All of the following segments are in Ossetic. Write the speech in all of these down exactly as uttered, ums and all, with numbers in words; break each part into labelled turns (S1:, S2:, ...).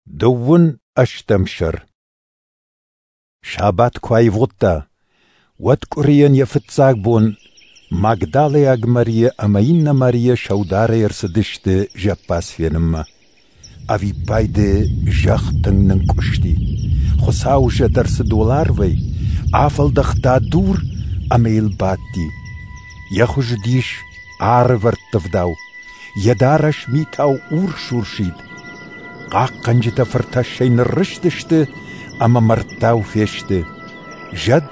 S1: Дыууын ӕстӕм сӕр. Сабат куы аивгъуыдта, уӕд къуырийӕн йӕ фыццаг бон Магдалӕйаг Мариа ӕмӕ иннӕ Мариа сӕударӕй ӕрцыдысты зӕппадз фенынмӕ. Ӕвиппайды зӕхх тынг нынкъуысти. Хуыцауы зӕд ӕрцыд уӕларвӕй, афӕлдӕхта дур ӕмӕ йыл бадти. Йӕ хуыз уыдис арвӕрттывдау, йӕ дарӕс митау урс-урсид. Хъахъхъӕнджытӕ фыртӕссӕй ныррызтысты ӕмӕ мӕрдтау фесты. Зӕд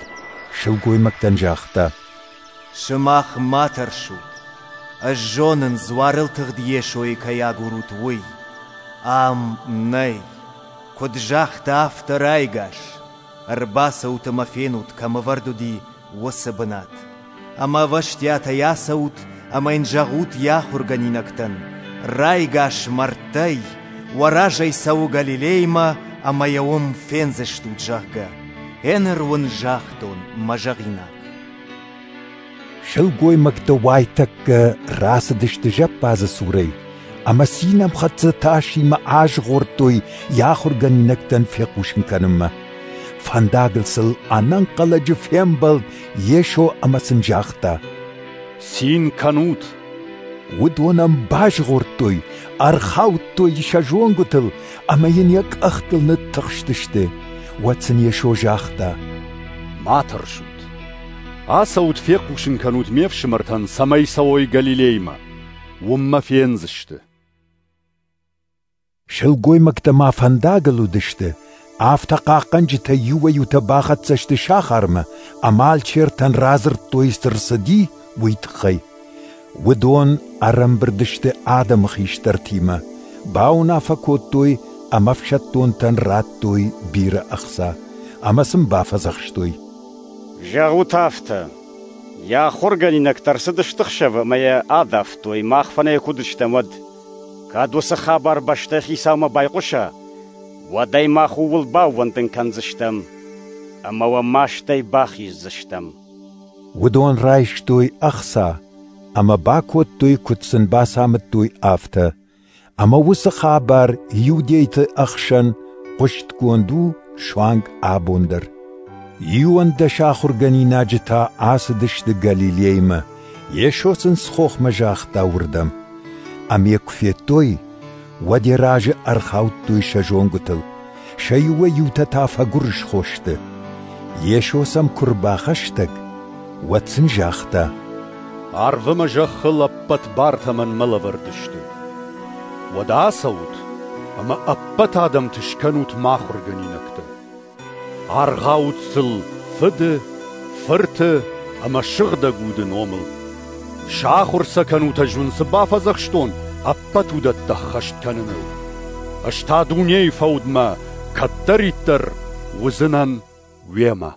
S1: сылгоймӕгтӕн загъта:
S2: «Сымах ма тӕрсут. Ӕз зонын, дзуарыл тыгъд Йесойы кӕй агурут, уый. Ам нӕй. Куыд загъта, афтӕ райгас. Ӕрбацӕут ӕмӕ фенут, кӕм ӕвӕрд уыди, уыцы бынат. Ӕмӕ ӕвӕстиатӕй ацӕут ӕмӕ йын зӕгъут йӕ ахуыргӕнинӕгтӕн: райгас мӕрдтӕй, уӕ разӕй цӕуы Галилеймӕ ӕмӕ йӕ уым фендзыстут, зӕгъгӕ. Еныр уын загътон мӕ зӕгъинаг».
S1: Сылгоймӕгтӕ уайтӕккӕ рацыдысты зӕппадзы цурӕй ӕмӕ цинӕмхӕццӕ тасимӕ азгъордтой йӕ ахуыргӕнинӕгтӕн фехъусын кӕнынмӕ. Фӕндагыл сыл ӕнӕнхъӕлӕджы фембӕлд Йесо ӕмӕ сын загъта:
S3: «Цин кӕнут!»
S1: Уыдон ӕм базгъордтой, ӕрхаудтой сӕ зонгуытыл ӕмӕ йын йӕ къӕхтыл ныттыхстысты. Уӕд сын Йесо загъта:
S3: «Ма тӕрсут. Ацӕут, фехъусын кӕнут ме фсымӕртӕн, цӕмӕй цӕуой Галилеймӕ. Уым мӕ фендзысты».
S1: Сылгоймӕгтӕ ма фӕндагыл уыдысты, афтӕ хъахъхъӕнджытӕ иуӕй-иутӕ бахӕццӕ сты сахармӕ ӕмӕ алчертӕн радзырдтой, цы рцыди, уый тыххӕй. Уыдон ӕрӕмбырд сты адӕмы хистӕртимӕ, бауынаффӕ кодтой ӕмӕ ӕфсӕддонтӕн радтой бирӕ ӕхца ӕмӕ сын бафӕдзӕхстой:
S4: «Зӕгъут афтӕ: йӕ ахуыргӕнинӕгтӕ ӕрцыдысты ӕхсӕвы ӕмӕ йӕ адавтой, мах фынӕй куы уыдыстӕм, уӕд. Кӕд уыцы хабар бӕстӕйы хицаумӕ байхъуса, уӕд ӕй мах ууыл баууӕндын кӕндзыстӕм ӕмӕ уӕ мастӕй бахиздзыстӕм».
S1: Уыдон райстой ӕхца ӕмӕ бакодтой, куыд сын бацамыдтой, афтӕ. Ӕмӕ уыцы хабар иудейты ӕхсӕн хъуыстгонд у суанг абон дӕр. Иуӕндӕс ахуыргӕнинаджы та ацыдысты Галилеймӕ. Йесо сын цы хохмӕ загъта, уырдӕм. Ӕмӕ йӕ куы федтой, уӕд йӕ разы ӕрхаудтой сӕ зонгуытыл. Сӕ иуӕй-иутӕ та фӕгуырысхо сты. Йесо сӕм куы рбахӕстӕг, уӕд сын загъта:
S3: «Арв ӕмӕ зӕххыл ӕппӕт бартӕ мӕнмӕ лӕвӕрд сты. Уӕдӕ ацӕут ӕмӕ ӕппӕт адӕмты скӕнут мӕ ахуыргӕнинӕгтӕ. Аргъаут сыл Фыды, Фырты ӕмӕ Сыгъдӕг Уды номыл. Сахуыр сӕ кӕнут, ӕз уын цы бафӕдзӕхстон, ӕппӕт уыдӕттӕ ӕххӕст кӕныныл. Ӕз та дунейы фӕудмӕ кӕддӕриддӕр уыдзынӕн уемӕ».